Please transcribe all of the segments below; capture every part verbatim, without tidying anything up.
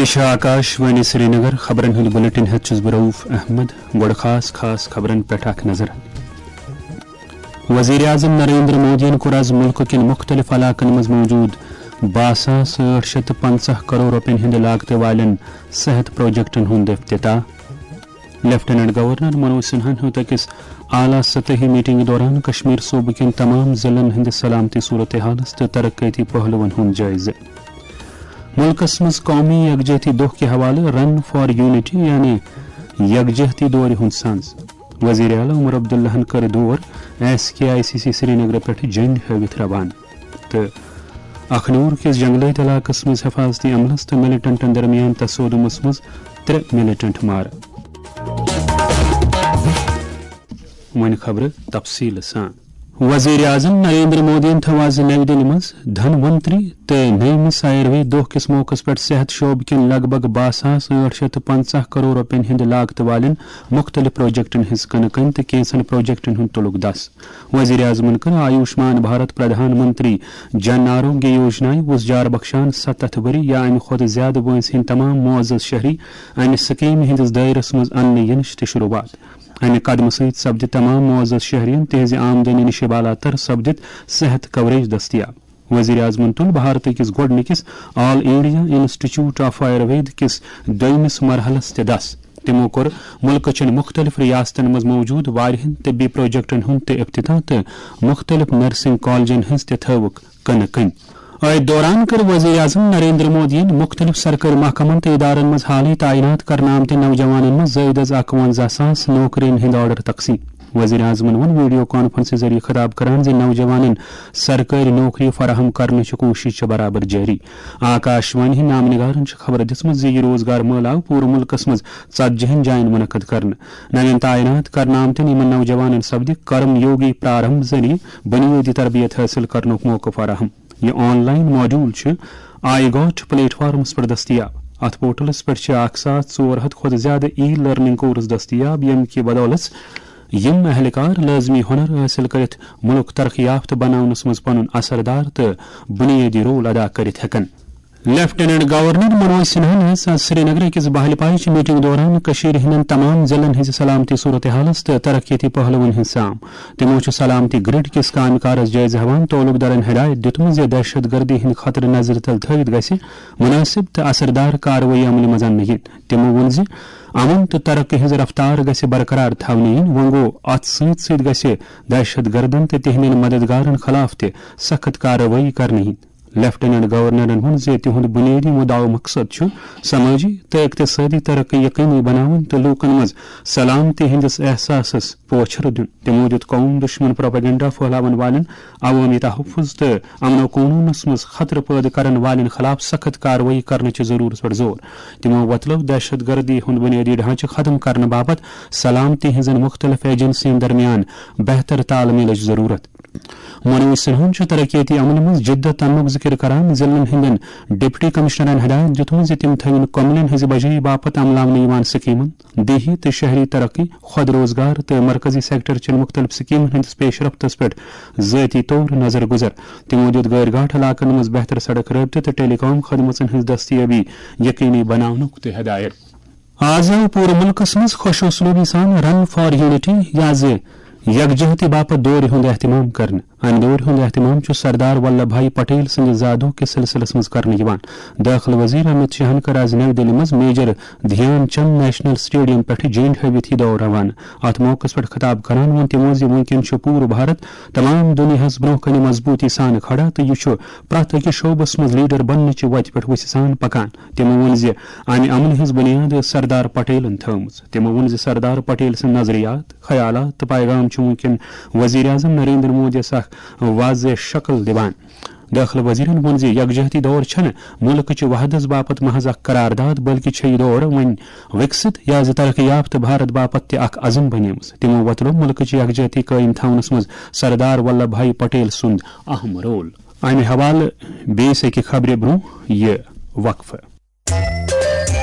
یہِ چھِ آکاش وانی سرینگر۔ خبرن ہُنٛد بلیٹن ہٮ۪تھ چھُس بہٕ رؤف احمد۔ گۄڈٕ خاص خاص خبرن پٮ۪ٹھ اکھ نظر۔ وزیر اعظم نریندر مودیَن کوٚر آز مُلکہٕ کٮ۪ن مُختٔلِف علاقن منٛز موجود باہ ساس ٲٹھ شیٚتھ تہٕ پنٛژاہ کرور رۄپین ہٕنٛدِ لاگتہٕ والٮ۪ن صحت پروجیکٹن ہُنٛد افتتاح۔ لیفٹیننٹ گورنر منوج سنہاہن ہیوٚت أکِس اعلیٰ سطحی میٹنگہِ دوران کشمیر صوبہٕ کٮ۪ن تمام ضلعن ہٕنٛدِ سلامتی صورتحالس تہٕ ترقیتی پہلوَن ہُنٛد جٲیزٕ۔ مُلکس منٛز قومی یکجہتی دۄہ کہِ حوالہٕ رن فار یونٹی یعنی یکجہتی دورِ ہُنٛد سنز۔ وزیر اعلیٰ عمر عبداللہن کٔر دور S K I C C Srinagar پٮ۪ٹھ جنڈ ہٲوِتھ روانہٕ۔ تہٕ اخنور کِس جنگلٲتۍ علاقس منٛز حفاظتی عملس تہٕ ملیٹنٹن درمیان تصادمس منٛز ترٛےٚ ملیٹنٹ مارٕ۔ وۄنۍ خبرٕ تفصیٖل سان۔ وزیر اعظم نریندر مودیَن تھٲو آز نَوِ دِلہِ منٛز دھن ونتری تہٕ نٔیمِس آیُروید دۄہ کِس موقعس پٮ۪ٹھ صحت شعبہٕ کٮ۪ن لگ بھگ باہ ساس ٲٹھ شیٚتھ تہٕ پنٛژاہ کرور رۄپین ہٕنٛدِ لاگتہٕ والٮ۪ن مُختٔلِف پروجیکٹن ہٕنٛز کٕنہٕ کٔنۍ تہٕ کینٛژن پروجیکٹن ہُنٛد تُلُکھ دَس۔ وزیر اعظمن کٔر آیوشمان بھارت پردھان منتری جن آروگیہ یوجنایہِ وُژھ جار بخشان ستتھ ؤری یا امہِ کھۄتہٕ زیادٕ وٲنٛسہِ ہٕنٛدۍ تمام معزز شہری امہِ سکیمہِ ہٕنٛدِس دٲیرس منٛز اننہٕ ینٕچ تہِ شروعات۔ امہِ قدمہٕ سۭتۍ سپدِ تمام معزز شہرین تہنٛزِ آمدنی نِش بالاتر سپدِتھ صحت کوریج دٔستیاب۔ وزیر اعظمن تُل بھارتہٕ کِس گۄڈٕنِکِس آل انڈیا انسٹیٹیوٹ آف آیوروید کِس دوٚیمِس مرحلس تہِ دس۔ تِمو کوٚر مُلکہٕ چٮ۪ن مُختٔلِف ریاستن منٛز موجود واریاہن طبی پروجیکٹن ہُنٛد تہِ افتتاح تہٕ مُختٔلِف نرسنگ کالجن ہٕنٛز تہِ تھٲوٕکھ کٕنہٕ کٔنۍ۔ أتھۍ دوران کٔر وزیر اعظم نریندر مودیَن مُختٔلِف سرکٲرۍ محکمن تہٕ ادارن منٛز حالٕے تعینات کرنہٕ آمتٮ۪ن نوجوانن منٛز زٲیدٕ از اَکوَنزاہ ساس نوکرین ہٕنٛدۍ آرڈر تقسیٖم۔ وزیر اعظمن ووٚن ویڈیو کانفرنسہِ ذٔریعہٕ خطاب کران زِ نوجوانن سرکٲرۍ نوکری فراہم کرنٕچ کوٗشش چھِ برابر جٲری۔ آکاش وانی ہٕنٛدۍ نامہٕ نگارن چھِ خبر دِژمٕژ زِ یہِ روزگار مٲلہٕ آو پوٗرٕ مُلکس منٛز ژتجی ہن جاین منعقد کرنہٕ۔ نوین تعینات کرنہٕ آمتٮ۪ن یِمن نوجوانن سپدِ کرم یوگی پرارمبھ ذٔریعہٕ بُنیٲدی تربیت حٲصِل کرنُک موقعہٕ فراہم۔ یہِ آن لائن ماڈیول چھُ آئی گاٹ پلیٹ فارمس پٮ۪ٹھ دٔستیاب۔ اتھ پورٹلس پٮ۪ٹھ چھِ اکھ ساس ژور ہتھ کھۄتہٕ زیادٕ ای لرننگ کورس دٔستیاب، ییٚمہِ کہِ بدولژ یِم اہلکار لٲزمی ہُنر حٲصِل کٔرِتھ مُلک ترقی یافتہٕ بناونس منٛز پنُن اثردار تہٕ بُنیٲدی رول ادا کٔرِتھ ہٮ۪کن۔ لیفٹیننٹ گورنر منوج سنہاہن ہیٚژ آز سرینگرٕ أکِس بہلہِ پایچہِ میٹنگ دوران کٔشیٖرِ ہٕنٛدٮ۪ن تمام ضلعن ہٕنٛزِ سلامتی صورتحالس تہٕ ترقیتی پہلوَن ہٕنٛز سام۔ تِمو چھُ سلامتی گرڈ کِس کامہِ کارس جٲیزٕ ہٮ۪وان تعلق دارن ہدایت دِیُتمُت زِ دہشت گردی ہٕنٛدِ خطرٕ نظرِ تل تھٲوِتھ گژھِ مناسب تہٕ اثردار کاروٲیی عملہِ منٛز اننہٕ یِنۍ۔ تِمو ووٚن زِ امن تہٕ ترقی ہٕنٛز رفتار گژھِ برقرار تھاونہٕ یِنۍ۔ وۄنۍ گوٚو، اتھ سۭتۍ سۭتۍ گژھِ دہشت گردن تہٕ تِہنٛدٮ۪ن مددگارن خلاف تہِ سخت کاروٲیی کرنہٕ یِنۍ۔ لیفٹیننٹ گورنرن ووٚن زِ تِہُنٛد بُنیٲدی مُدعا و مقصد چھُ سمٲجی تہٕ اقتصٲدی ترقی یقینی بناوٕنۍ تہٕ لوٗکن منٛز سلامتی ہٕنٛدِس احساسس پوچھر دیُن۔ تِمو دیُت قوم دُشمن پروپیگنڈا پھٔہلاون والٮ۪ن عوٲمی تحفظ تہٕ امن و قونوٗنس منٛز خطرٕ پٲدٕ کرن والٮ۪ن خلاف سخت کاروٲیی کرنٕچ ضروٗرت پٮ۪ٹھ زور۔ تِمو وۄتلٲو دہشت گردی ہُنٛد بُنیٲدی ڈھانچہٕ ختم کرنہٕ باپتھ سلامتی ہٕنٛزن مُختٔلِف ایجنسین درمیان بہتر تال میلٕچ ضروٗرت۔ منوج سنہاہن چھُ ترقیتی عملہِ منٛز جدت اننُک ذِکِر کران ضلعن ہٕنٛدٮ۪ن ڈپٹی کمشنرن ہدایت دِیُتمُت زِ تِم تھٲوِن کۄملٮ۪ن ہٕنٛزِ بجٲیی باپتھ عملاونہٕ یِوان سکیمن، دیہی تہٕ شہری ترقی، خود روزگار تہٕ مرکزی سیکٹر چٮ۪ن مُختٔلِف سکیمن ہٕنٛدِس پیش رفتس پٮ۪ٹھ ذٲتی طور نظر گُزر۔ تِمو دِیُت غٲرۍ گاٹھ علاقن منٛز بہتر سڑک رٲبطہٕ تہٕ ٹیلی کام خدمژن ہٕنٛز دستیٲبی یقینی بناونُک تہِ ہدایت۔ آز آو پوٗرٕ مُلکَس منٛز خۄش اسلوبی سان رن فار یونٹی یا زِ یکجہتی باپتھ دورِ ہُنٛد اہتمام کرنہٕ۔ امہِ دورِ ہُنٛد اہتمام چھُ سردار ولبھ بھائی پٹیل سٕنٛدِ زادوہ کِس سلسلس منٛز کرنہٕ یِوان۔ دٲخلہٕ وزیر امت شاہن کٔر آز نَوِ دِلہِ منٛز میجر دھیان چند نیشنل سٹیڈیم پٮ۪ٹھٕ جنڈ ہٲوِتھ یہِ دور روانہٕ۔ اتھ موقعس پٮ۪ٹھ خطاب کران ووٚن تِمو زِ وُنکٮ۪ن چھُ پوٗرٕ بھارت تمام دُنیاہَس برٛونٛہہ کنہِ مضبوٗطی سان کھڑا تہٕ یہِ چھُ پرٛٮ۪تھ أکِس شعبس منٛز لیڈر بننٕچہِ وتہِ پٮ۪ٹھ وُژھِ سان پکان۔ تِمو ووٚن زِ امہِ عملہِ ہٕنٛز بُنیاد ٲس سردار پٹیلن تھٲومٕژ۔ تِمو ووٚن زِ سردار پٹیل سٕنٛدۍ نظریات، خیالات تہٕ پیغام چھِ وُنکٮ۪ن وزیر اعظم نریندر مودیَس اکھ واضح شکل دِوان۔ دٲخلہٕ وزیرن ووٚن زِ یکجہتی دور چھنہٕ مُلکٕچہِ وحدت باپتھ محض اکھ قرارداد، بلکہِ چھےٚ یہِ دور وۄنۍ وِکسِت یا زِ ترقی یافتہٕ بھارت باپتھ تہِ اکھ عزم بنیمٕژ۔ تِمو وۄتلوو مُلکٕچہِ یکجہتی قٲیِم تھاونس منٛز سردار ولبھ بھائی پٹیل سُنٛد اہم رول۔ امہِ حوالہٕ بیٚیِس أکہِ خبرِ برٛونٛہہ یہِ وقفہٕ۔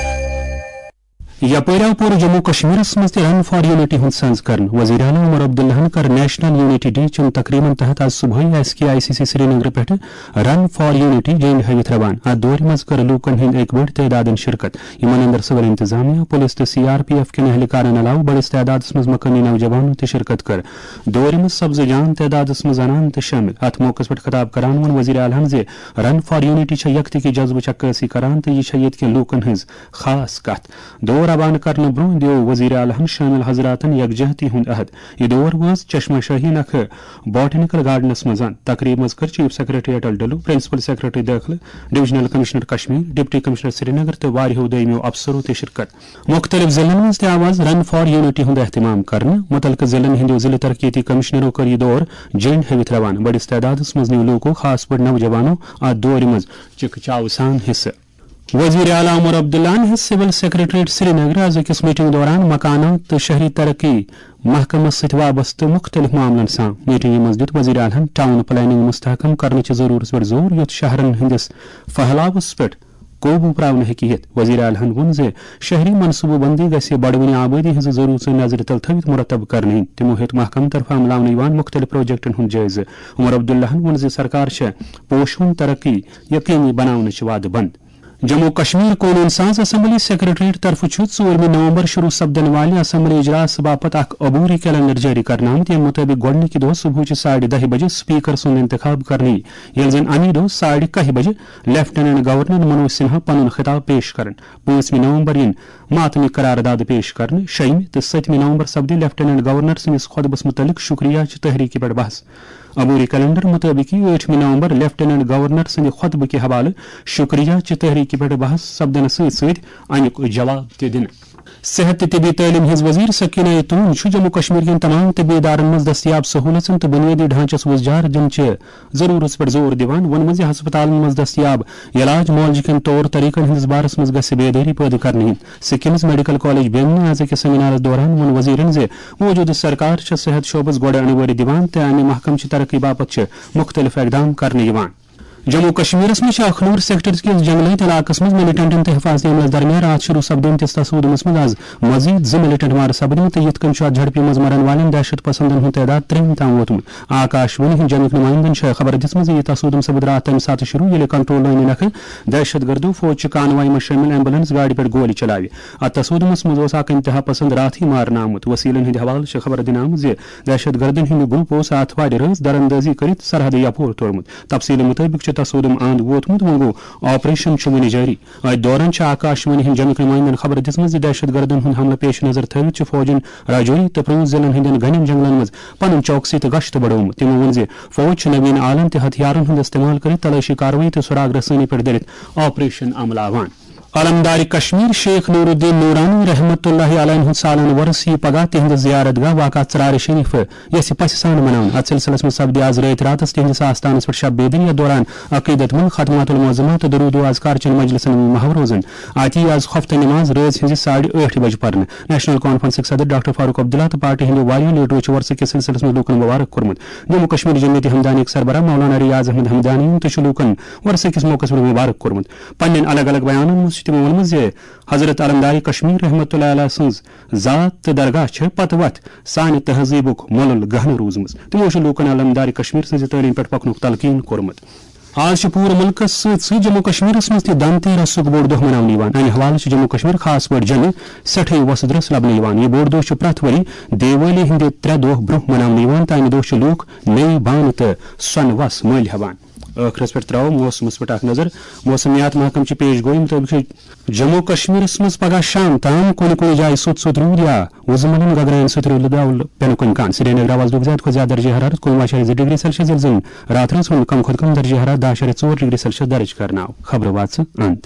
یپٲرۍ آو پوٗرٕ جموں کشمیرس منٛز تہِ رن فار یونٹی ہُنٛد سنز کرنہٕ۔ وزیر اعلیٰ عمر عبداللہن کٔر نیشنل یونٹی ڈے چٮ۪ن تقریبن تحت آز صبحٲے S K I C C Srinagar پٮ۪ٹھٕ رن فار یونٹی جینڈ ہٲوِتھ روانہٕ۔ اتھ دورِ منٛز کٔر لوٗکن ہٕنٛدۍ اکہِ بٔڑۍ تعدادن شرکت، یِمن اندر سول انتظامیہ، پُلس تہٕ سی آر پی ایف کٮ۪ن اہلکارن علاوٕ بٔڑِس تعدادس منٛز مقٲمی نوجوانو تہِ شرکت کٔر۔ دورِ منٛز سپزٕ جان تعدادس منٛز زنانہٕ تہِ شٲمِل۔ اتھ موقعس پٮ۪ٹھ خطاب کران ووٚن وزیر اعلیٰ ہن زِ رن فار یونٹی چھےٚ یکتہٕ کہِ جذبٕچ عکٲسی کران تہٕ یہِ چھےٚ ییٚتہِ کٮ۪ن لوٗکن ہٕنٛز خاص کتھ۔ دور روانہٕ کرنہٕ برونٛہہ دیو وزیر اعلیٰ ہن شٲمِل حضراتن یکجہتی ہُنٛد عہد۔ یہِ دور وٲژ چشمہ شاہی نکھٕ بوٹینیکل گارڈنس منٛز۔ تقریب منٛز کٔر chief secretary Atal Dulloo, principal secretary دٲخلہٕ، divisional commissioner Kashmir, deputy commissioner Srinagar تہٕ واریاہو دوٚیمٮ۪و افسرو تہِ شرکت۔ مُختٔلِف ضلعن منٛز تہِ آو آز رن فار یونٹی ہُنٛد اہتمام کرنہٕ۔ مُتعلقہٕ ضلعن ہٕنٛدیو ضلعہٕ ترقیتی کمشنرو کٔر یہِ دور جنڈ ہٲوِتھ روانہٕ۔ بٔڑِس تعدادس منٛز نیوٗ لوٗکو، خاص پٲٹھۍ نوجوانو، اتھ دورِ منٛز چِکہٕ چاوٕ سان حصہٕ۔ وزیر اعلیٰ عمر عبداللہن ہیٚژ سول سیکرٹریٹ سرینگرٕ از أکِس میٹنگ دوران مکانات تہٕ شہری ترقی محکمس سۭتۍ وابستہٕ مُختٔلِف معاملن سان۔ میٹنگہِ منٛز دِیُت وزیر اعلیٰ ہن ٹاؤن پلاننگ مستحکم کرنٕچہِ ضرورتس پٮ۪ٹھ زور، یُتھ شہرن ہٕنٛدِس پھہلاوس پٮ۪ٹھ قوبو پراونہٕ ہیٚکہِ یِتھ۔ وزیر اعلیٰ ہن ووٚن زِ شہری منصوبہٕ بندی گژھِ بڑوٕنہِ آبٲدی ہٕنٛزٕ ضرورژٕ نظرِ تل تھٲوِتھ مرتب کرنہٕ یِنۍ۔ تِمو ہیوٚت محکمہٕ طرفہٕ عملاونہٕ یِوان مُختٔلِف پروجیکٹن ہُنٛد جٲیزٕ۔ عمر عبداللہن ووٚن زِ سرکار چھےٚ پوشوُن ترقی یقینی بناونٕچ وعدٕ بنٛد۔ جموں کشمیر قونوٗن ساز اسمبلی سیکرٹریٹ طرفہٕ چھُ ژوٗرمہِ نومبر شروع سپدن والہِ اسمبلی اجلاس باپتھ اکھ عبوری کیلنڈر جٲری کرنہٕ آمُت، ییٚمہِ مُطٲبِق گۄڈٕنِکہِ دۄہ صبحٕچہِ ساڑِ دَہہِ بجہِ سپیکر سُنٛد انتخاب کرنہٕ یِیہِ، ییٚلہِ زن اَمی دۄہ ساڑِ کاہہِ بجہِ لیفٹیننٹ گورنر منوج سنہا پنُن خطاب پیش کرن۔ پانٛژمہِ نومبر یِن ماتمی قرارداد پیش کرنہٕ۔ شیٚیِمہِ تہٕ سٔتمہِ نومبر سپدِ لیفٹیننٹ گورنر سٕنٛدِس خطبس مُتعلق شکریہ چہِ تحریٖکہِ پٮ۪ٹھ بحث۔ عبوری کیلنڈر مُطٲبِق یِیہِ ٲٹھمہِ نومبر لیفٹیننٹ گورنر سٕنٛدِ خطبہٕ کہِ حوالہٕ شکریہ چہِ تحریٖکہِ پٮ۪ٹھ بحث سپدنہٕ سۭتۍ سۭتۍ اَمیُک جواب تہِ دِنہٕ۔ صحت تہٕ طبی تعلیٖم ہٕنٛز وزیر سکینہ یتون چھُ جموں کشمیر کٮ۪ن تمام طبی ادارن منٛز دٔستیاب سہوٗلژن تہٕ بُنیٲدی ڈھانچس وُزجار دِنہٕ چہِ ضروٗرتس پٮ۪ٹھ زور دِوان۔ ووٚنمُت زِ ہسپتالن منٛز دٔستیاب علاج معالجہٕ کٮ۪ن طور طریقن ہٕنٛدِس بارس منٛز گژھِ بیدٲری پٲدٕ کرنہٕ یِنۍ۔ سکمز میڈیکل کالج بیمنہِ آز أکِس سیمینارس دوران ووٚن وزیرن زِ موجودٕ سرکار چھےٚ صحت شعبس گۄڈٕ اَنہٕ وٲرۍ دِوان تہٕ امہِ محکمہٕ چہِ ترقی باپتھ چھِ مُختٔلِف اقدام کرنہٕ یِوان۔ جموں کشمیرس منٛز چھِ اکھ نوٗر سیکٹر کِس جنگلٲوۍ تہٕ علاقس منٛز ملٹنٹن تہٕ حفاظتی عملس درمیان راتھ شروع سپدیمتِس تصادمس منٛز از مزید زٕ ملٹنٹ مارٕ سپدمٕتۍ تہٕ یِتھ کٔنۍ چھُ اتھ جھڑپہِ منٛز مرن والٮ۪ن دہشت پسندن ہُنٛد تعداد ترٛہن تام ووتمُت۔ آکاش وانی ہٕنٛدۍ جنگٕکۍ نُمایندن چھےٚ خبر دِژمٕژ زِ یہِ تصادم سپُد راتھ تمہِ ساتہٕ شروع ییٚلہِ کنٹرول لٲنہِ نکھٕ دہشت گردو فوج چہِ کانوایہِ منٛز شٲمِل ایمبولینس گاڑِ پٮ۪ٹھ گولہِ چلاوِ۔ اتھ تصادمس منٛز اوس اکھ انتہا پسند راتھٕے مارنہٕ آمُت۔ وسیلن ہٕنٛدِ حوالہٕ چھِ خبر دِنہٕ آمٕژ زِ دہشت گردن ہُنٛد گروپ اوس آتھوارِ رٲژ دراندازی کٔرِتھ سرحدٕ یپور توٚرمُت۔ تفصیلہٕ مُطٲبِق چھُ تصادم اند ووتمُت، وۄنۍ گوٚو آپریشن چھُ وُنہِ جٲری۔ أتھۍ دوران چھِ آکاش وانی ہٕنٛدۍ جنگٕکۍ نُمایندن خبر دِژمٕژ زِ دہشت گردن ہُنٛد حملہٕ پیش نظر تھٲوِتھ چھِ فوجن راجوری تہٕ پروٗنٛژ ضلعن ہٕنٛدٮ۪ن گنٮ۪ن جنگلن منٛز پنُن چوکسی تہٕ گشت بڑوومُت۔ تِمو ووٚن زِ فوج چھِ نوین آلن تہٕ ہتھیارن ہُنٛد استعمال کٔرِتھ تلٲشی کاروٲیی تہٕ سراغ رسٲنی پٮ۪ٹھ دٔرِتھ آپریشن عملاوان۔ علمدار کشمیر شیخ نور الدین نورانی رحمت اللہ علیہ ہُنٛد سالانہٕ وۄرُس یِیہِ پگاہ تِہنٛدِس زیارت گاہ واقع ژرارِ شریف یژھِ پژھِ سان مناونہٕ۔ اتھ سلسلس منٛز سپدِ آز رٲتۍ راتس تِہنٛدِس آستانس پٮ۪ٹھ شب بیدٲری۔ یتھ دوران عقیدت مند ختمات المعظمات تہٕ درود و اذکار چٮ۪ن مجلسن ہُنٛد محو روزُن۔ اتہِ یِیہِ آز خفتہ نماز رٲژ ہٕنٛزِ ساڑِ ٲٹھِ بجہِ پرنہٕ۔ نیشنل کانفرنسٕکۍ صدر ڈاکٹر فاروق عبداللہ تہٕ پارٹی ہٕنٛدیو واریاہو لیڈرو چھِ وۄرسہٕ کِس سلسلس منٛز لوٗکن مبارک کوٚرمُت۔ جموں کشمیر جمعیت ہمدانیٕکۍ سربراہ مولانا ریاض احمد ہمدانی تہِ چھُ لوٗکن وۄرسہٕ کِس موقعس پٮ۪ٹھ مبارک کوٚرمُت۔ پننٮ۪ن الگ الگ بیانن منٛز چھِ تِمو ووٚنمُت زِ حضرت علمدار کشمیر رحمت اللہ علیہ سٕنٛز ذات تہٕ درگاہ چھِ پتہٕ وتھ سانہِ تہذیٖبُک مۄلُل گہنہٕ روٗزمٕژ۔ تِمو چھُ لوٗکن علمدار کشمیر سٕنٛزِ تعلیٖم پٮ۪ٹھ پکنُک تلقین کوٚرمُت۔ آز چھُ پوٗرٕ مُلکَس سۭتۍ سۭتۍ جموں کشمیرَس منٛز تہِ دھن تیرسُک بوٚڑ دۄہ مناونہٕ یِوان۔ اَمہِ حوالہٕ چھِ جموں کشمیر، خاص پٲٹھۍ جوٚمہِ، سٮ۪ٹھٕے وۄسہٕ درٛس لبنہٕ یِوان۔ یہِ بوٚڑ دۄہ چھُ پرٛٮ۪تھ ؤری دیوالی ہٕنٛدِ ترٛےٚ دۄہ برٛونٛہہ مناونہٕ یِوان تہٕ اَمہِ دۄہ چھِ لوٗکھ نٔوۍ بانہٕ تہٕ سۄنہٕ وَس مٔلۍ ہٮ۪وان۔ ٲخرس پٮ۪ٹھ ترٛاوو موسمس پٮ۪ٹھ اکھ نظر۔ موسمیات محکمہٕ چہِ پیش گویی مُطٲبِق چھُ جموں کشمیرس منٛز پگاہ شام تام کُنہِ کُنہِ جایہِ سوٚت سوٚت روٗد یا وُزٕ مۄلُن گگراین سۭتۍ رُلہٕ داو پٮ۪نُک امکان۔ سرینگرٕ آو آز دۄہُک زیادٕ کھۄتہٕ زیادٕ درجہ حرارت کُنوُہ اَشاریہ زٕ ڈگری سیلسیس، ییٚلہِ زن راتھ رٲژ ہُنٛد کم کھۄتہٕ کم درجہ حرارت دَہ اَشاریہ ژور ڈگری سیلسیس درج کرنہٕ آو۔ خبرٕ واژٕ اند۔